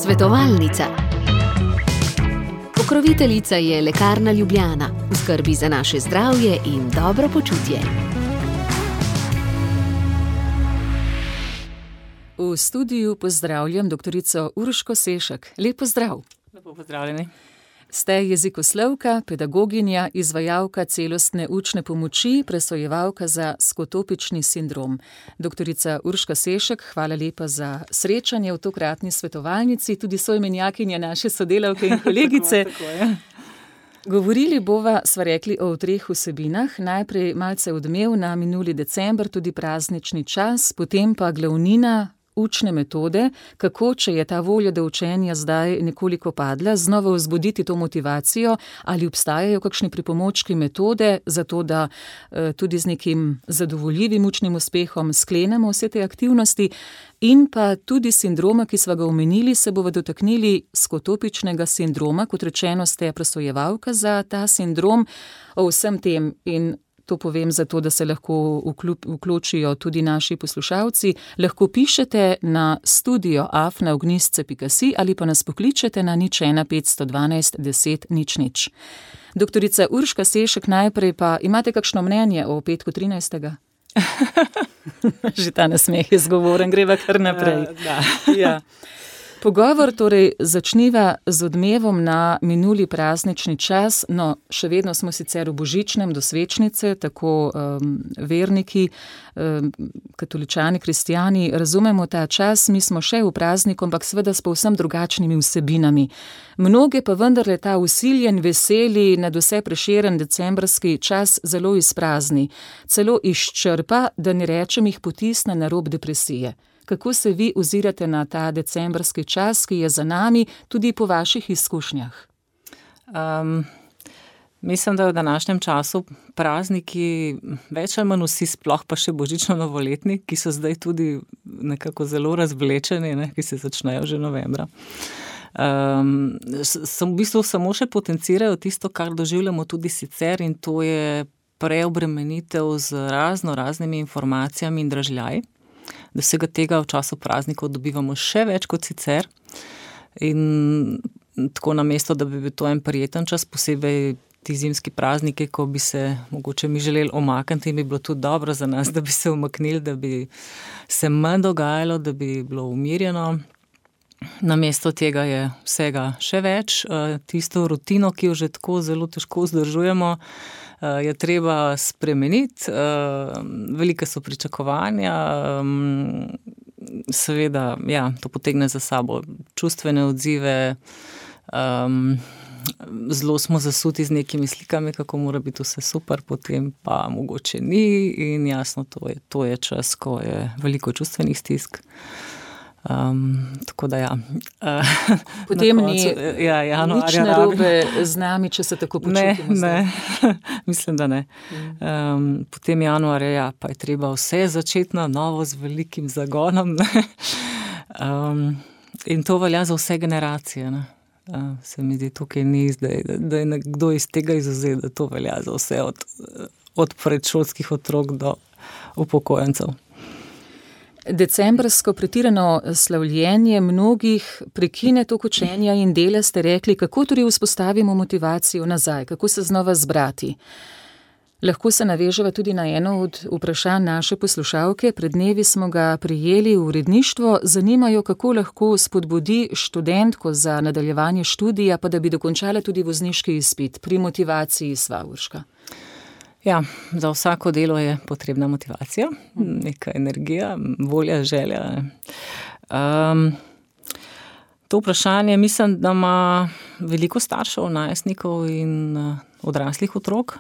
Svetovalnica. Pokroviteljica je Lekarna Ljubljana, v skrbi za naše zdravje in dobro počutje. V studiu pozdravljam doktorico Urško Sešek. Lep pozdrav. Lepo pozdravljeni. Ste jezikoslovka, pedagoginja, izvajalka celostne učne pomoči, presojevalka za skotopični sindrom. Doktorica Urška Sešek, hvala lepa za srečanje v tokratni svetovalnici, tudi soimenjakinja naše sodelavke in kolegice. Tako je. Govorili bova, sva rekli, o treh vsebinah. Najprej malce odmev na minuli december, tudi praznični čas, potem pa glavnina učne metode, kako, če je ta volja do učenja zdaj nekoliko padla, znova vzbuditi to motivacijo, ali obstajajo kakšni pripomočki metode, zato da tudi z nekim zadovoljivim učnim uspehom sklenemo vse te aktivnosti, in pa tudi sindroma, ki sva ga omenili, se bova dotaknili skotopičnega sindroma, kot rečeno ste presojevalka za ta sindrom, o vsem tem in to povem zato, da se lahko vključijo tudi naši poslušalci. Lahko pišete na studio@ognistce.si ali pa nas pokličete na 01 512 10 00. Doktorica Urška Sešek, najprej pa imate kakšno mnenje o petku 13. Že ta nasmeh je zgovoren, greva kar naprej. Ja. Pogovor torej začniva z odmevom na minuli praznični čas, no, še vedno smo sicer v božičnem do svečnice, tako verniki, katoličani, kristijani, razumemo ta čas, mi smo še v prazniku, ampak seveda s povsem drugačnimi vsebinami. Mnoge pa vendarle ta vsiljen, veseli, nadvse prešeren decembrski čas zelo izprazni, celo izčrpa, da ne rečem jih potisne na rob depresije. Kako se vi ozirate na ta decembrski čas, ki je za nami, tudi po vaših izkušnjah? Mislim, da v današnjem času prazniki več ali manj vsi, sploh pa še božično-novoletni, ki so zdaj tudi nekako zelo razvlečeni, ki se začnejo že novembra. V bistvu samo še potencirajo tisto, kar doživljamo tudi sicer, in to je preobremenitev z raznimi informacijami in dražljaji. Da vsega tega v času praznikov dobivamo še več kot sicer, in tako namesto, da bi bil to en prijeten čas, posebej ti zimski prazniki, ko bi se mogoče mi želeli omakniti, in bi bilo tudi dobro za nas, da bi se umaknili, da bi se manj dogajalo, da bi bilo umirjeno. Namesto tega je vsega še več. Tisto rutino, ki jo že tako zelo težko vzdržujemo, je treba spremeniti. Velike so pričakovanja, seveda, ja, to potegne za sabo čustvene odzive, zelo smo zasuti z nekimi slikami, kako mora biti vse super, potem pa mogoče ni, in jasno, to je čas, ko je veliko čustvenih stisk. Tako da ja. Potem ni nič narobe z nami, če se tako počutimo. Ne, mislim, da ne. Potem januarja, ja, pa je treba vse začeti na novo z velikim zagonom. In to velja za vse generacije. Se mi zdi, tukaj ni zdaj, da je nekdo iz tega izvzet, da to velja za vse od predšolskih otrok do upokojencev. Decembrsko pretirano slavljenje mnogih prekine tok učenja in dela, ste rekli, kako torej vzpostavimo motivacijo nazaj, kako se znova zbrati. Lahko se naveževa tudi na eno od vprašanj naše poslušalke. Pred dnevi smo ga prijeli v uredništvo, zanimajo, kako lahko spodbudi študentko za nadaljevanje študija, pa da bi dokončala tudi vozniški izpit pri motivaciji sva, Urška. Ja, za vsako delo je potrebna motivacija, neka energija, volja, želja. To vprašanje mislim, da ima veliko staršev, najstnikov in odraslih otrok.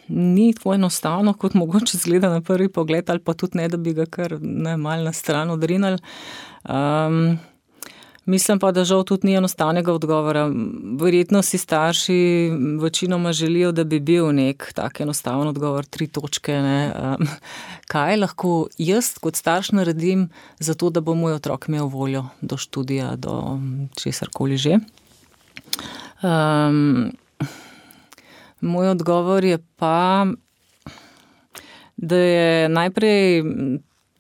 Ni tako enostavno, kot mogoče izgleda na prvi pogled, ali pa tudi ne, da bi ga kar malo na stran odrinili. Mislim pa, da žal tudi ni enostavnega odgovora. Verjetno si starši večinoma želijo, da bi bil nek tak enostaven odgovor, 3 točke. Kaj lahko jaz kot starš naredim za to, da bo moj otrok imel voljo do študija, do česarkoli že? Moj odgovor je pa, da je najprej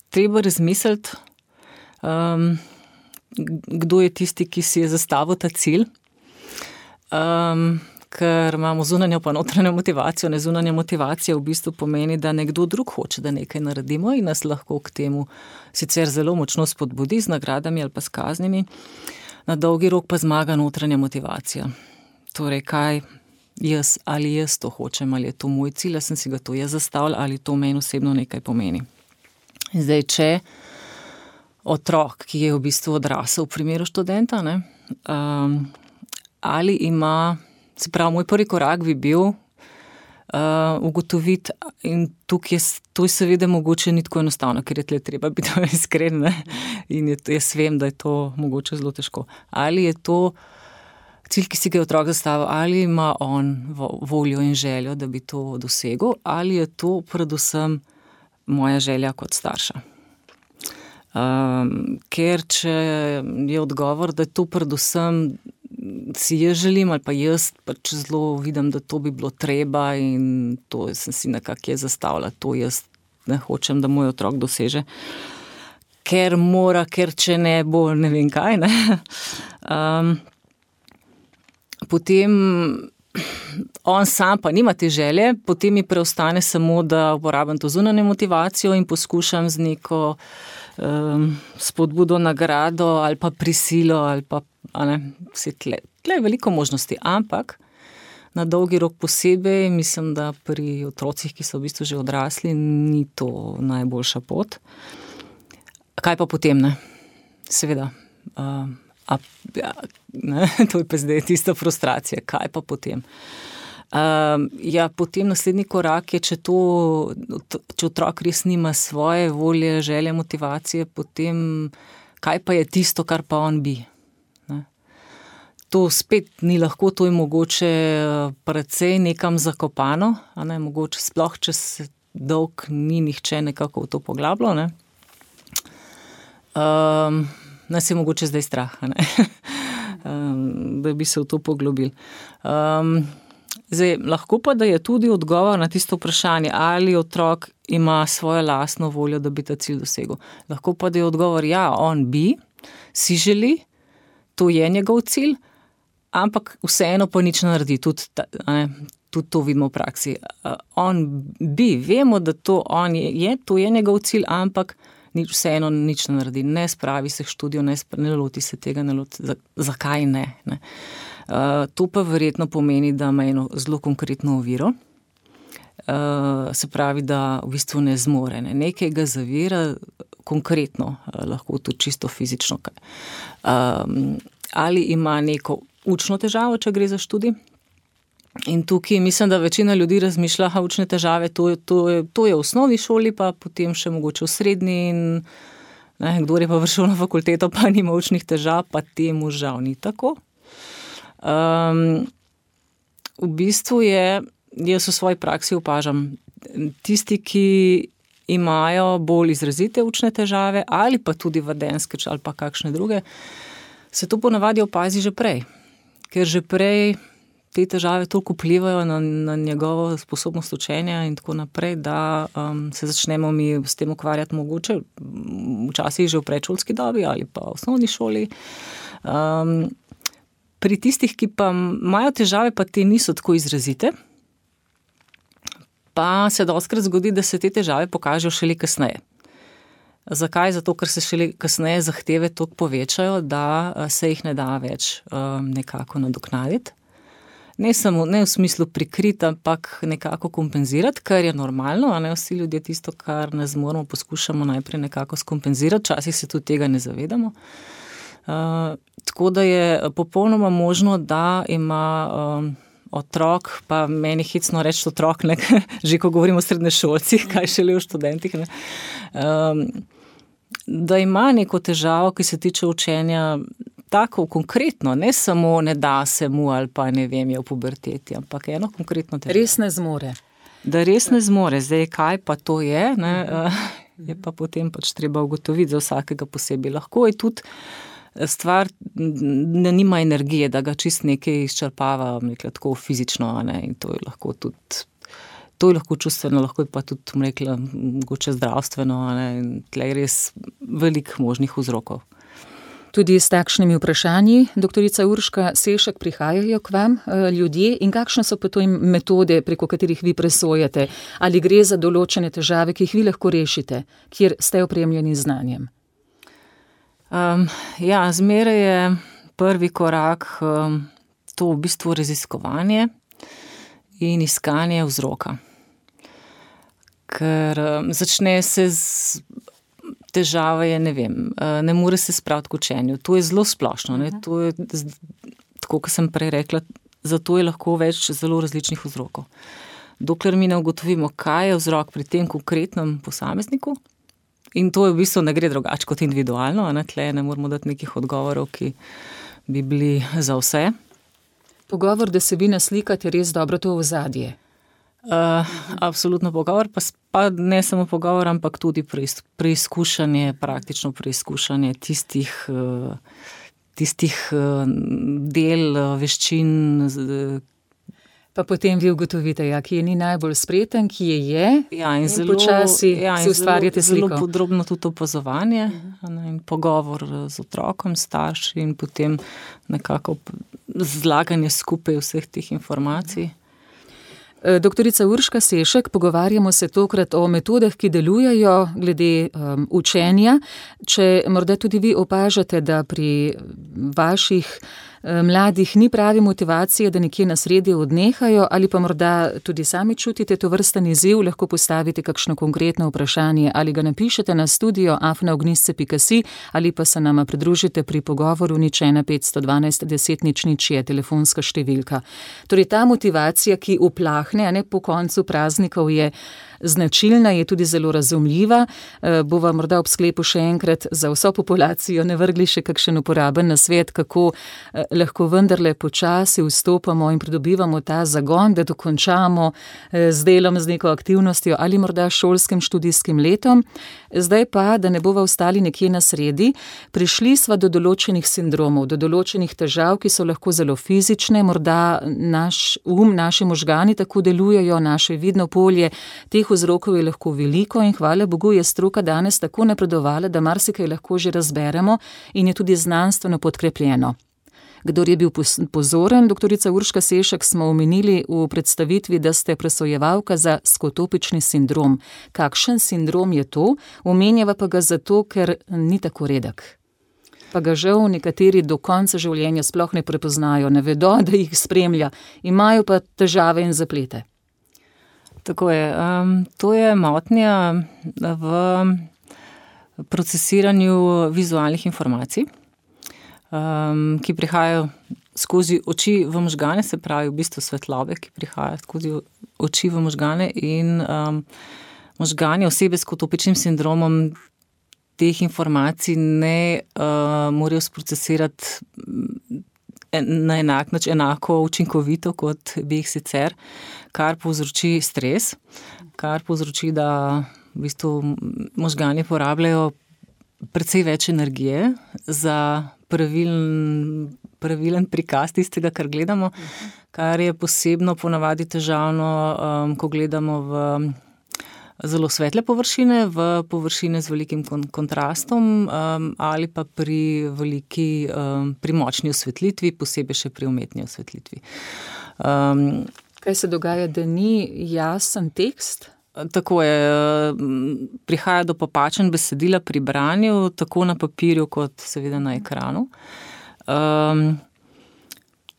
treba razmisliti, kdo je tisti, ki si je zastavil ta cilj. Ker imamo zunanjo pa notranjo motivacijo. Zunanja motivacija v bistvu pomeni, da nekdo drug hoče, da nekaj naredimo in nas lahko k temu sicer zelo močno spodbudi z nagradami ali pa s kaznimi. Na dolgi rok pa zmaga notranja motivacija. Torej, kaj ali jaz to hočem, ali je to moj cilj, ali sem si ga to jaz zastavila, ali to meni osebno nekaj pomeni. Zdaj, če otrok, ki je v bistvu odrasel v primeru študenta, ali ima, se pravi, moj prvi korak bi bil ugotoviti, in tukaj to je seveda mogoče ni tako enostavno, ker je tle treba biti iskren, in jaz vem, da je to mogoče zelo težko. Ali je to cilj, ki si ga je otrok zastavil, ali ima on voljo in željo, da bi to dosegel, ali je to predvsem moja želja kot starša. Ker če je odgovor, da je to predvsem si jaz želim, ali pa jaz pač zelo vidim, da to bi bilo treba in to sem si nekako je zastavila, to jaz ne hočem, da moj otrok doseže, ker mora, ker če ne bo, ne vem kaj, potem on sam pa nima te želje, potem mi preostane samo, da uporabim to zunanjo motivacijo in poskušam z neko spodbudo, nagrado ali pa prisilo ali pa vse tle je veliko možnosti, ampak na dolgi rok posebej mislim, da pri otrocih, ki so v bistvu že odrasli, ni to najboljša pot. Kaj pa potem, Seveda, to je pa zdaj tista frustracija, kaj pa potem? Potem naslednji korak je, če otrok res nima svoje volje, želje, motivacije, potem kaj pa je tisto, kar pa on bi? To spet ni lahko, to je mogoče precej nekam zakopano, mogoče sploh, če se dolg ni nihče nekako v to poglabljal, Nas je mogoče zdaj strah, da bi se v to poglobili. Zdaj, lahko pa, da je tudi odgovor na tisto vprašanje, ali otrok ima svojo lastno voljo, da bi ta cilj dosegel. Lahko pa, da je odgovor, on bi, si želi, to je njegov cilj, ampak vseeno pa nič naredi, tudi to vidimo v praksi. On bi, vemo, da to je njegov cilj, ampak vseeno nič ne naredi, ne spravi se k študiju, ne loti se tega, zakaj ne? To pa verjetno pomeni, da ima eno zelo konkretno oviro, se pravi, da v bistvu ne zmore, nekaj ga zavira konkretno, lahko tudi čisto fizično. Ali ima neko učno težavo, če gre za študij. In tukaj mislim, da večina ljudi razmišlja, učne težave, to je v osnovni šoli, pa potem še mogoče v srednji in kdor je pa prišel na fakulteto, pa nima učnih težav, pa temu žal ni tako. V bistvu jaz v svoji praksi opažam, tisti, ki imajo bolj izrazite učne težave ali pa tudi vedenjske ali pa kakšne druge, se to ponavadi opazi že prej, ker že prej te težave toliko vplivajo na njegovo sposobnost učenja in tako naprej, da se začnemo mi s tem ukvarjati mogoče včasih že v predšolski dobi ali pa v osnovni šoli. Pri tistih, ki pa imajo težave, pa te niso tako izrazite, pa se dostikrat zgodi, da se te težave pokažejo šele kasneje. Zakaj? Zato, ker se šele kasneje zahteve toliko povečajo, da se jih ne da več nekako nadoknaditi. Ne v smislu prikriti, ampak nekako kompenzirati, kar je normalno, vsi ljudje tisto, kar ne zmoremo, poskušamo najprej nekako skompenzirati, včasih se tudi tega ne zavedamo. Tako da je popolnoma možno, da ima otrok, pa meni hecno reči otrok, že ko govorimo o srednješolcih, kaj šele o študentih, da ima neko težavo, ki se tiče učenja, tako konkretno, ne samo ne da se mu ali pa ne vem, je v puberteti, ampak eno konkretno težavo. Res ne zmore. Da res ne zmore. Zdaj, kaj pa to je, je pa potem pač treba ugotoviti za vsakega posebej. Lahko je tudi stvar, da nima energije, da ga čist nekaj izčrpava, tako fizično, in to je lahko tudi, to je lahko čustveno, lahko je pa tudi, mogoče zdravstveno, in tle je res veliko možnih vzrokov. Tudi s takšnimi vprašanji, doktorica Urška Sešek, prihajajo k vam ljudje in kakšne so pa to metode, preko katerih vi presojate? Ali gre za določene težave, ki jih vi lahko rešite, kjer ste opremljeni z znanjem? Zmeraj je prvi korak to v bistvu raziskovanje in iskanje vzroka. Ker začne se z težave, ne more se spraviti k učenju. To je zelo splošno, ne? To je, tako kot sem prej rekla, zato je lahko več zelo različnih vzrokov. Dokler mi ne ugotovimo, kaj je vzrok pri tem konkretnem posamezniku, in to je v bistvu ne gre drugače kot individualno, tle ne moramo dati nekih odgovorov, ki bi bili za vse. Pogovor, da se vi naslikate, res dobro to ozadje. Absolutno pogovor, pa ne samo pogovor, ampak tudi preizkušanje, praktično preizkušanje tistih del, veščin. Pa potem vi ugotovite, kje ni najbolj spreten, kje je, in zelo, počasi si ustvarjate sliko. Zelo podrobno tudi opazovanje, in pogovor z otrokom, starši in potem nekako zlaganje skupaj vseh teh informacij. Doktorica Urška Sešek, pogovarjamo se tokrat o metodah, ki delujejo glede učenja. Če morda tudi vi opažate, da pri vaših mladih ni pravi motivacije, da nekje na sredi odnehajo, ali pa morda tudi sami čutite to vrsten izziv, lahko postavite kakšno konkretno vprašanje ali ga napišete na studio@ognjisce.si ali pa se nama pridružite pri pogovoru 01 512 10 00 je telefonska številka. Torej ta motivacija, ki uplahne, po koncu praznikov, je značilna, je tudi zelo razumljiva. Bova morda ob sklepu še enkrat za vso populacijo ne vrgli še kakšen uporaben nasvet, kako lahko vendarle počasi vstopamo in pridobivamo ta zagon, da dokončamo z delom, z neko aktivnostjo ali morda šolskim študijskim letom. Zdaj pa, da ne bova ostali nekje na sredi, prišli sva do določenih sindromov, do določenih težav, ki so lahko zelo fizične, morda naš naši možgani tako delujejo, naše vidno polje, teh vzrokov je lahko veliko in hvala Bogu je stroka danes tako napredovala, da marsikaj lahko že razberemo in je tudi znanstveno podkrepljeno. Kdor je bil pozoren, doktorica Urška Sešek, smo omenili v predstavitvi, da ste presojevalka za skotopični sindrom. Kakšen sindrom je to? Omenjava pa ga zato, ker ni tako redek. Pa ga žal nekateri do konca življenja sploh ne prepoznajo, ne vedo, da jih spremlja, imajo pa težave in zaplete. Tako je. To je motnja v procesiranju vizualnih informacij, ki prihajajo skozi oči v možgane, se pravi v bistvu svetlobe, ki prihajajo skozi oči v možgane in možgani osebe s skotopičnim sindromom teh informacij ne morajo sprocesirati na enak način, enako učinkovito, kot bi jih sicer, kar povzroči stres, kar povzroči, da v bistvu možgani porabljajo precej več energije za pravilen prikaz tistega, kar gledamo, kar je posebno ponavadi težavno, ko gledamo v zelo svetle površine, v površine z velikim kontrastom ali pa pri močni osvetlitvi, posebej še pri umetni osvetlitvi. Kaj se dogaja, da ni jasen tekst? Tako je, prihaja do popačenj besedila pri branju, tako na papirju kot seveda na ekranu.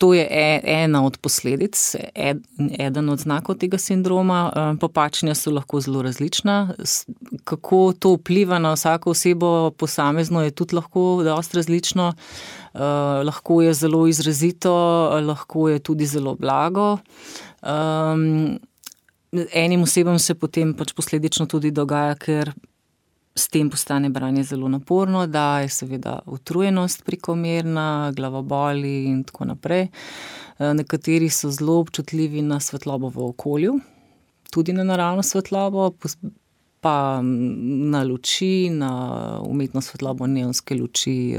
To je ena od posledic, eden od znakov tega sindroma. Popačenja so lahko zelo različna. Kako to vpliva na vsako osebo posamezno, je tudi lahko dosti različno. Lahko je zelo izrazito, lahko je tudi zelo blago. Enim osebam se potem posledično tudi dogaja, ker s tem postane branje zelo naporno, da je seveda utrujenost prekomerna, glavoboli in tako naprej. Nekateri so zelo občutljivi na svetlobo v okolju, tudi na naravno svetlobo, pa na luči, na umetno svetlobo, neonske luči,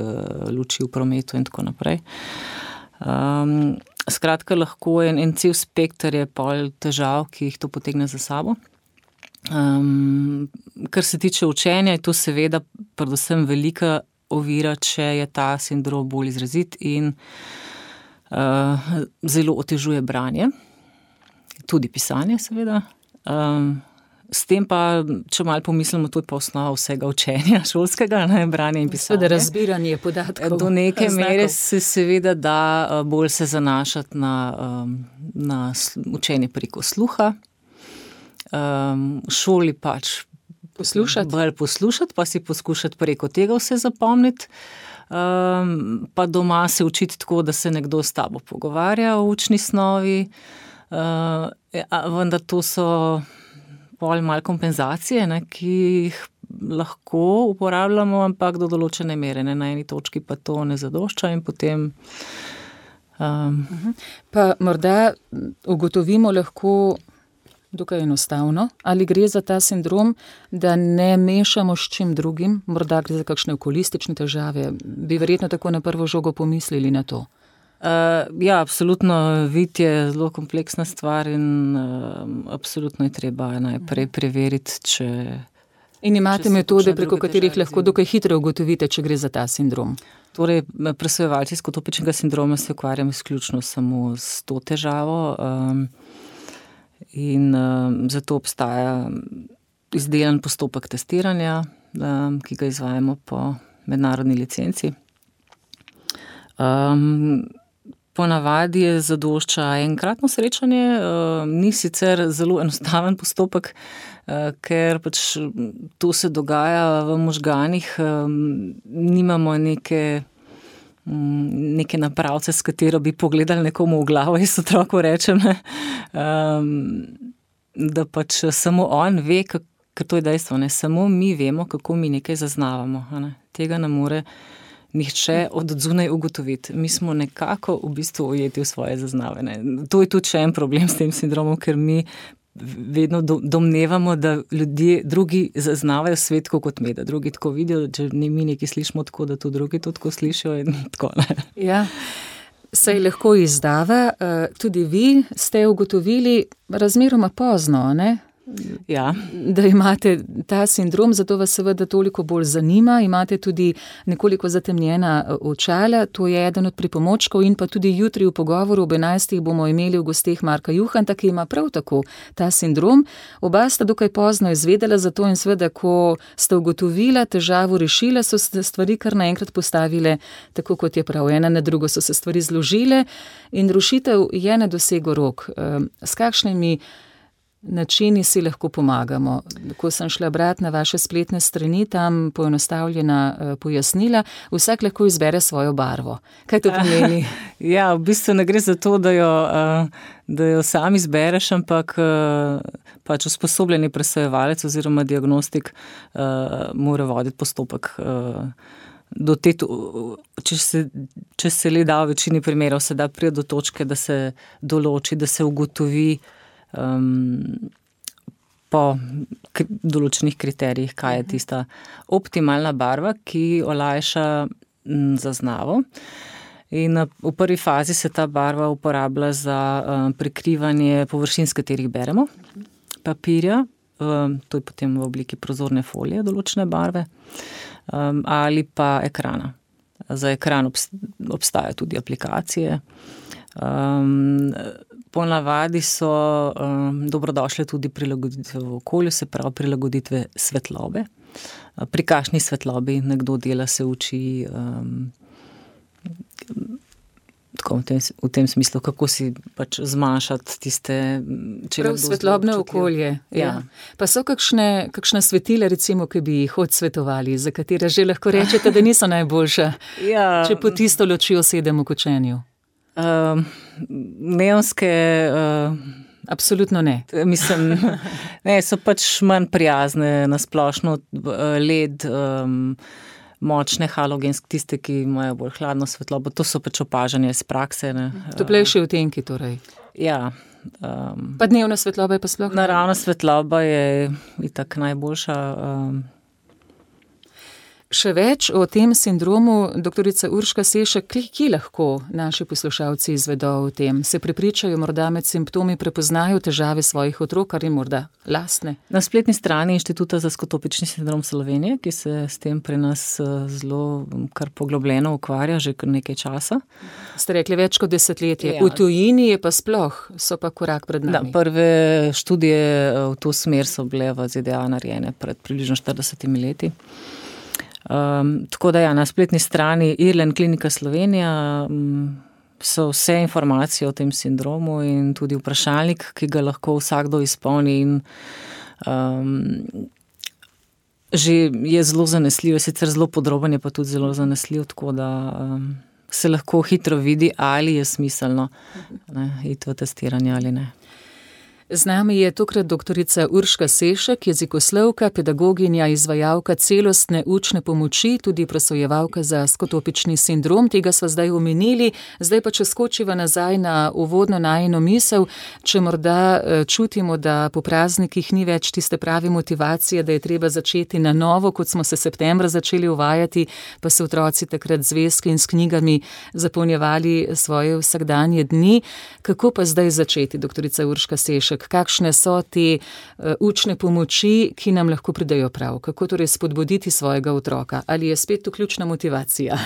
luči v prometu in tako naprej. Skratka, lahko je en cel spekter je pol težav, ki jih to potegne za sabo. Kar se tiče učenja, je to seveda predvsem velika ovira, če je ta sindrom bolj izrazit in zelo otežuje branje, tudi pisanje seveda. S tem pa, če malo pomislimo, to je pa osnova vsega učenja šolskega, branje in pisanje. Seveda razbiranje podatkov. Do neke mere se seveda da bolj se zanašati na učenje preko sluha. V šoli pač bolj poslušati, pa si poskušati preko tega vse zapomniti. Pa doma se učiti tako, da se nekdo s tabo pogovarja o učni snovi. Vendar to so bolj malo kompenzacije, ki jih lahko uporabljamo, ampak do določene mere. Na eni točki pa to ne zadošča in potem... Pa morda ugotovimo lahko dokaj enostavno, ali gre za ta sindrom, da ne mešamo s čim drugim, morda gre za kakšne okulistične težave. Bi verjetno tako na prvo žogo pomislili na to. Ja, absolutno, vid je zelo kompleksna stvar in absolutno je treba najprej preveriti, če... In imate metode, preko katerih lahko dokaj hitro ugotovite, če gre za ta sindrom? Torej, presojevalci skotopičnega sindroma se ukvarjamo izključno samo s to težavo in zato obstaja izdelan postopek testiranja, ki ga izvajamo po mednarodni licenci. Ponavadi je zadošča enkratno srečanje, ni sicer zelo enostaven postopek, ker pač to se dogaja v možganih, nimamo neke napravce, s katero bi pogledali nekomu v glavo, jaz otroku rečem, da pač samo on ve, ker to je dejstvo, samo mi vemo, kako mi nekaj zaznavamo, tega ne more nihče od zunaj ugotoviti. Mi smo nekako v bistvu ujeti v svoje zaznavanje. To je tudi še en problem s tem sindromom, ker mi vedno domnevamo, da ljudje drugi zaznavajo svet kot mi, da drugi tako vidijo, če mi nekaj slišimo tako, da tudi drugi to tako slišijo in tako. Ja, saj lahko izdava. Tudi vi ste ugotovili razmeroma pozno, ne? Ja. Da imate ta sindrom, zato vas seveda toliko bolj zanima, imate tudi nekoliko zatemnjena očala, to je eden od pripomočkov in pa tudi jutri v pogovoru ob 11. bomo imeli v gosteh Marka Juhanta, ki ima prav tako ta sindrom. Oba sta dokaj pozno izvedela za to in seveda, ko sta ugotovila, težavo rešila, so se stvari kar naenkrat postavile tako, kot je prav. Ena na drugo so se stvari zložile in rešitev je na dosegu rok. S kakšnimi načini si lahko pomagamo? Ko sem šla brati na vaše spletne strani, tam poenostavljena pojasnila, vsak lahko izbere svojo barvo. Kaj to pomeni? Ja, v bistvu ne gre za to, da jo sam izbereš, ampak pač usposobljeni presojevalec oziroma diagnostik mora voditi postopek če se le da v večini primerov, se da priti do točke, da se določi, da se ugotovi po določenih kriterijih, kaj je tista optimalna barva, ki olajša zaznavo. In v prvi fazi se ta barva uporablja za prikrivanje površin, s katerih beremo, papirja, to je potem v obliki prozorne folije določene barve, ali pa ekrana. Za ekran obstajajo tudi aplikacije. Ponavadi so dobrodošle tudi prilagoditve v okolju, se pravi prilagoditve svetlobe. Pri kakšni svetlobi nekdo dela, se uči tako v tem smislu, kako si pač zmanjšati tiste... Prav svetlobno okolje. Ja. Pa so kakšna svetila, recimo, ki bi jih odsvetovali, za katera že lahko rečete, da niso najboljša, če po tisto lučjo sedemo v kočenju? Neonske... Absolutno ne. Mislim, ne, so pač manj prijazne na splošno, LED, močne halogenske, tiste, ki imajo bolj hladno svetlobo, to so pač opažanja iz prakse. Toplejši odtenki torej. Ja. Pa dnevna svetloba je pa sploh? Naravna svetloba je itak najboljša. Še več o tem sindromu, doktorica Urška Sešek, kje lahko naši poslušalci izvedo o tem? Se prepričajo, morda med simptomi prepoznajo težave svojih otrok ali morda lastne? Na spletni strani Inštituta za skotopični sindrom Slovenije, ki se s tem pri nas zelo kar poglobljeno ukvarja že kar nekaj časa. Ste rekli več kot desetletje. V tujini je pa sploh, so pa korak pred nami. Da, prve študije v to smer so bile v ZDA narejene pred približno 40 leti. Tako da na spletni strani Irlen Klinika Slovenija so vse informacije o tem sindromu in tudi vprašalnik, ki ga lahko vsakdo izpolni in že je zelo zanesljiv, sicer zelo podroben, je pa tudi zelo zanesljiv, tako da se lahko hitro vidi, ali je smiselno iti v testiranje ali ne. Z nami je tokrat doktorica Urška Sešek, jezikoslovka, pedagoginja, izvajalka celostne učne pomoči, tudi presojevalka za skotopični sindrom. Tega sva zdaj omenili, zdaj pa če skočiva nazaj na uvodno najino misel, če morda čutimo, da po praznikih ni več tiste prave motivacije, da je treba začeti na novo, kot smo se septembra začeli uvajati, pa so otroci takrat z zvezki in s knjigami zapolnjevali svoje vsakdanje dni. Kako pa zdaj začeti, doktorica Urška Sešek? Kakšne so te učne pomoči, ki nam lahko pridejo prav? Kako torej spodbuditi svojega otroka? Ali je spet to ključna motivacija?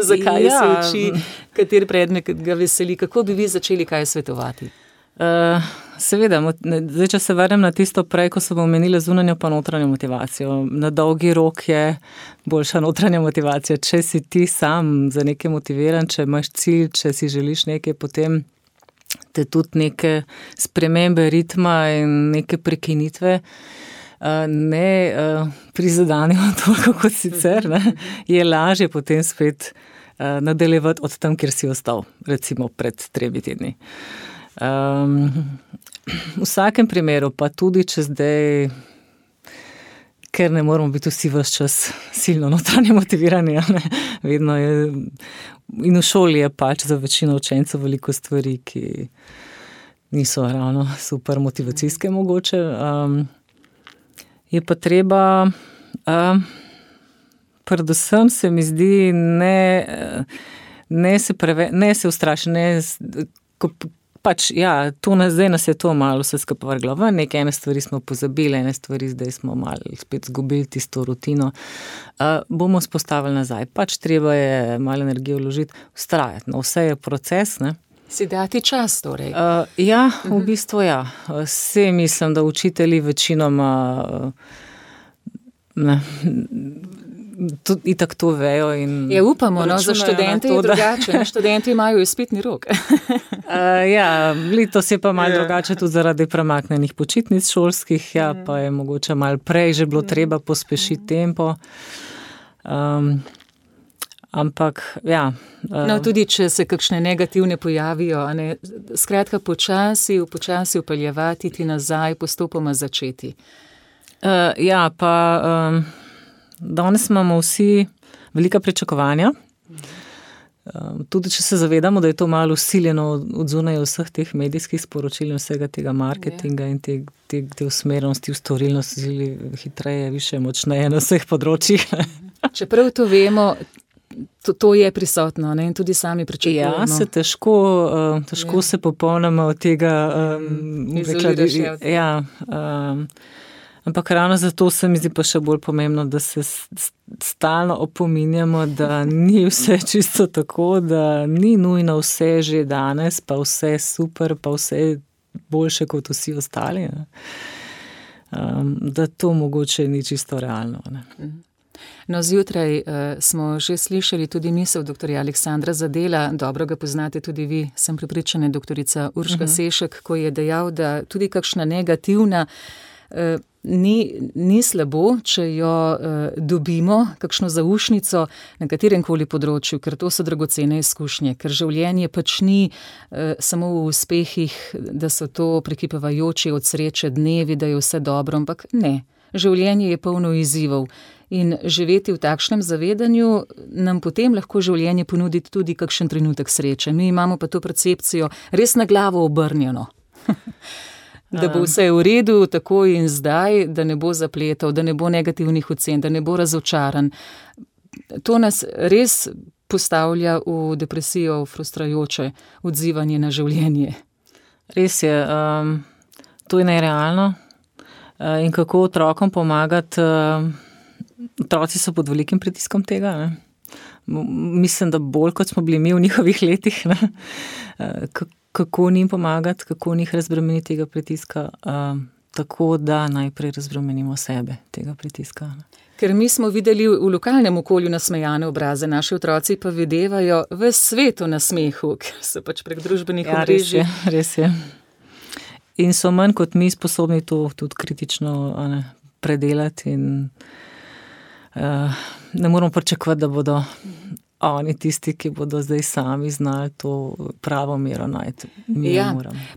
Zakaj se uči, kateri predmet ga veseli? Kako bi vi začeli kaj svetovati? Seveda, zdaj, če se vrnem na tisto prej, ko sem omenila zunanjo pa notranjo motivacijo. Na dolgi rok je boljša notranja motivacija. Če si ti sam za nekaj motiviran, če imaš cilj, če si želiš nekaj, potem te tudi neke spremembe ritma in neke prekinitve ne prizadenejo toliko kot sicer, ne? Je lažje potem spet nadaljevati od tam, kjer si ostal, recimo pred 3 tedni. V vsakem primeru, pa tudi če zdaj, ker ne moramo biti vsi ves čas silno notranje motivirani, ne? Vedno je, in v šoli je pač za večino učencev veliko stvari, ki niso ravno super motivacijske mogoče. Je pa treba, predvsem se mi zdi, ne se ustrašiti, pač, zdaj nas je to malo vse skupaj vrglo ven, ene stvari smo pozabili, ene stvari zdaj smo malo spet zgubili tisto rutino. Bomo spostavili nazaj, pač treba je malo energije vložiti, vztrajati, vse je proces, ne. Si dati čas, torej? V bistvu ja. Vse mislim, da učitelji večinoma itak to vejo. Upamo, za študente je drugače. Študenti imajo izpitni rok. Letos je pa malo drugače tudi zaradi premaknenih počitnic šolskih, pa je mogoče malo prej že bilo treba pospešiti tempo. Ampak, tudi če se kakšne negativne pojavijo, skratka počasi upeljevati ti nazaj, postopoma začeti. Danes imamo vsi velika pričakovanja, tudi če se zavedamo, da je to malo vsiljeno od zunaj vseh teh medijskih sporočil in vsega tega marketinga in te usmerjenosti v storilnost, hitreje, više, močneje na vseh področjih. Čeprav to vemo, to je prisotno, ne? In tudi sami pričakujemo. Se težko se popolnoma od tega izoliraš. Ampak ravno zato se mi zdi pa še bolj pomembno, da se stalno opominjamo, da ni vse čisto tako, da ni nujno vse že danes, pa vse super, pa vse boljše kot vsi ostali. Da to mogoče ni čisto realno. Ne. Zjutraj smo že slišali tudi misel doktorja Aleksandra Zadela, dobro ga poznate tudi vi, sem prepričana, doktorica Urška Sešek, ko je dejal, da tudi kakšna negativna ni slabo, če jo dobimo, kakšno zaušnico na kateremkoli področju, ker to so dragocene izkušnje, ker življenje pač ni samo v uspehih, da so to prekipevajoči od sreče dnevi, da je vse dobro, ampak ne. Življenje je polno izzivov in živeti v takšnem zavedanju nam potem lahko življenje ponudi tudi kakšen trenutek sreče. Mi imamo pa to percepcijo res na glavo obrnjeno. Da bo vse v redu, tako in zdaj, da ne bo zapletov, da ne bo negativnih ocen, da ne bo razočaran. To nas res postavlja v depresijo, v frustrajoče odzivanje na življenje. Res je, to je nerealno. In kako otrokom pomagati, otroci so pod velikim pritiskom tega, ne? Mislim, da bolj kot smo bili mi v njihovih letih, ne? Kako njim pomagati, kako njih razbremeniti tega pritiska, tako da najprej razbremenimo sebe tega pritiska. Ne? Ker mi smo videli v lokalnem okolju nasmejane obraze, naši otroci pa videvajo v svetu na smehu, ker so pač prek družbenih omrežij. Res je. In so manj kot mi sposobni to tudi kritično predelati in ne moramo pričakovati, da bodo oni tisti, ki bodo zdaj sami znali to pravo mero najti.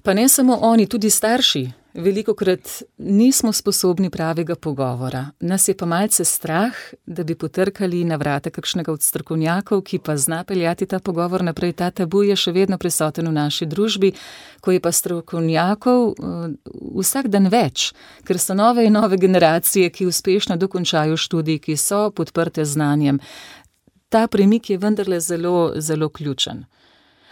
Pa ne samo oni, tudi starši. Velikokrat nismo sposobni pravega pogovora. Nas je pa malce strah, da bi potrkali na vrata kakšnega od strokovnjakov, ki pa zna peljati ta pogovor naprej. Ta tabu je še vedno prisoten v naši družbi, ko je pa strokovnjakov vsak dan več, ker so nove in nove generacije, ki uspešno dokončajo študij, ki so podprte znanjem. Ta premik je vendarle zelo, zelo ključen.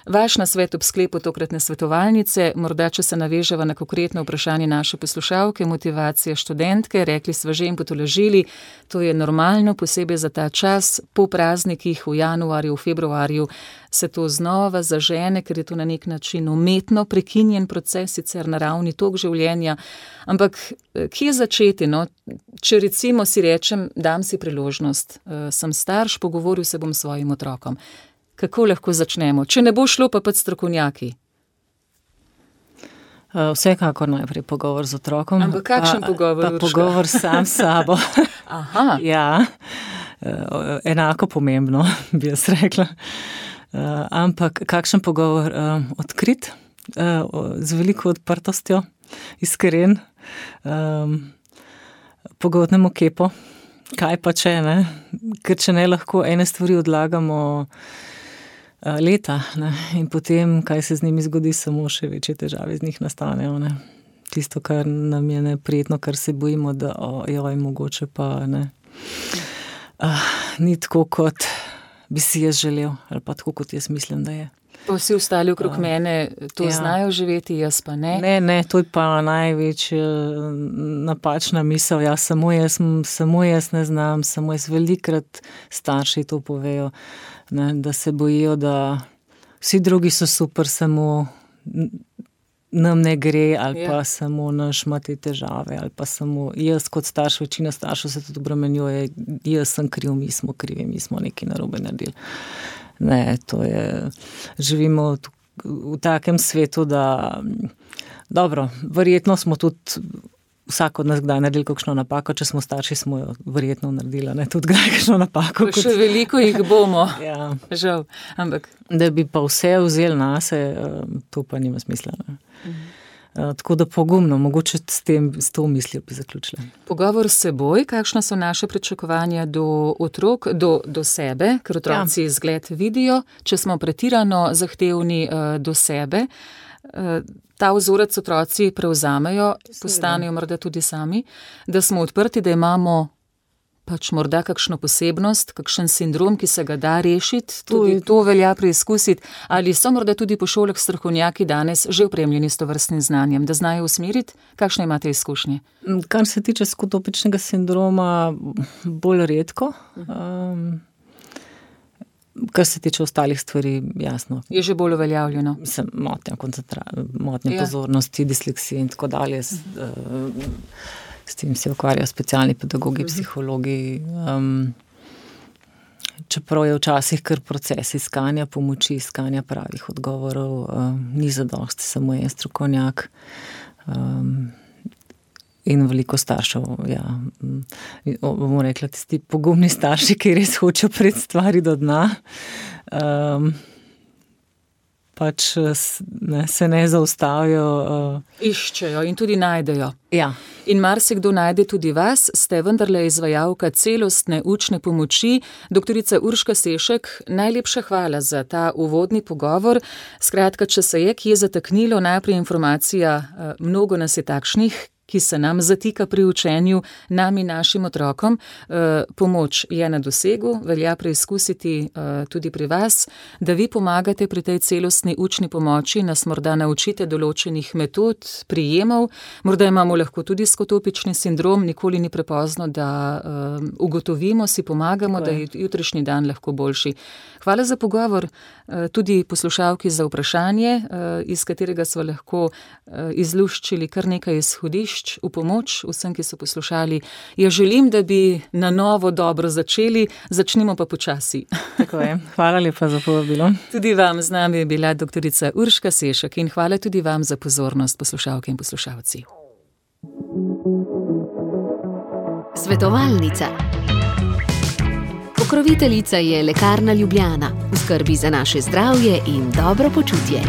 Vaš nasvet ob sklepu tokratne svetovalnice, morda če se naveževa na konkretno vprašanje naše poslušalke, motivacija študentke, rekli sva že in potolažili, to je normalno, posebej za ta čas, po praznikih v januarju, v februarju se to znova zažene, ker je to na nek način umetno prekinjen proces, sicer naravni tok življenja, ampak kje začeti, no? Če recimo si rečem, dam si priložnost, sem starš, pogovoril se bom s svojim otrokom. Kako lahko začnemo? Če ne bo šlo, pa strokovnjaki. Vsekakor najprej pogovor z otrokom. Ampak kakšen pogovor? Pa pogovor sam s sabo. Aha. Ja, enako pomembno, bi jaz rekla. Ampak kakšen pogovor? Odkrit, z veliko odprtostjo, iskren, pogotnemu kepo. Kaj pa če, ne? Ker če ne, lahko ene stvari odlagamo leta, ne? In potem, kaj se z njimi zgodi, samo še večje težave z njih nastanejo, ne? Tisto, kar nam je neprijetno, kar se bojimo, da mogoče pa ne. Ni tako, kot bi si jaz želel, ali pa tako, kot jaz mislim, da je. Pa vsi ostali okrog mene to znajo živeti, jaz pa ne. Ne, to je pa največja napačna misel. Ja, samo jaz ne znam, samo jaz velikrat starši to povejo, ne, da se bojijo, da vsi drugi so super, samo nam ne gre, ali pa samo naš ima te težave, ali pa samo jaz kot starš, večina staršev se tudi obremenjuje, jaz sem kriv, mi smo krivi, mi smo nekaj narobe naredili. Ne, to je, živimo v takem svetu, da dobro, verjetno smo tudi vsak od nas kdaj naredili kakšno napako, če smo starši, smo jo verjetno naredili, ne, tudi kdaj kakšno napako. Še veliko jih bomo, žal, ampak. Da bi pa vse vzeli nase, to pa nima smisla, ne. Tako da pogumno, mogoče s to mislijo bi zaključila. Pogovor s seboj, kakšna so naše pričakovanja do otrok, do sebe, ker otroci zgled vidijo, če smo pretirano zahtevni do sebe, ta vzorec otroci prevzamejo, postanejo morda tudi sami, da smo odprti, da imamo pač morda kakšno posebnost, kakšen sindrom, ki se ga da rešiti, tudi to velja preizkusiti, ali so morda tudi po šolah strokovnjaki danes že opremljeni s tovrstnim znanjem, da znajo usmeriti, kakšne imate izkušnje? Kar se tiče skotopičnega sindroma, bolj redko, kar se tiče ostalih stvari, jasno. Je že bolj uveljavljeno? Mislim, motnja pozornosti, disleksija in tako dalje, s tem se ukvarjajo specialni pedagogi, psihologi. Čeprav je včasih kar proces iskanja pomoči, iskanja pravih odgovorov, ni zadosti samo en strokovnjak in veliko staršev. Bomo rekla, tisti pogumni starši, ki res hočejo priti stvari do dna. pač se ne zaustavijo. Iščejo in tudi najdejo. Ja. In marsikdo najde tudi vas, ste vendarle izvajalka celostne učne pomoči. Doktorica Urška Sešek, najlepša hvala za ta uvodni pogovor. Skratka, če se je kje zataknilo, najprej informacija, mnogo nas je takšnih, ki se nam zatika pri učenju, nam in našim otrokom. Pomoč je na dosegu, velja preizkusiti tudi pri vas, da vi pomagate pri tej celostni učni pomoči, nas morda naučite določenih metod, prijemov, morda imamo lahko tudi skotopični sindrom, nikoli ni prepozno, da ugotovimo, si pomagamo, da je jutrišnji dan lahko boljši. Hvala za pogovor, tudi poslušalki za vprašanje, iz katerega smo lahko izluščili kar nekaj izhodišč v pomoč vsem, ki so poslušali. Ja, želim, da bi na novo dobro začeli, začnimo pa počasi. Tako je. Hvala lepa za povabilo. Tudi vam, z nami je bila doktorica Urška Sešek in hvala tudi vam za pozornost, poslušalke in poslušalci. Svetovalnica. Pokroviteljica je Lekarna Ljubljana, v skrbi za naše zdravje in dobro počutje.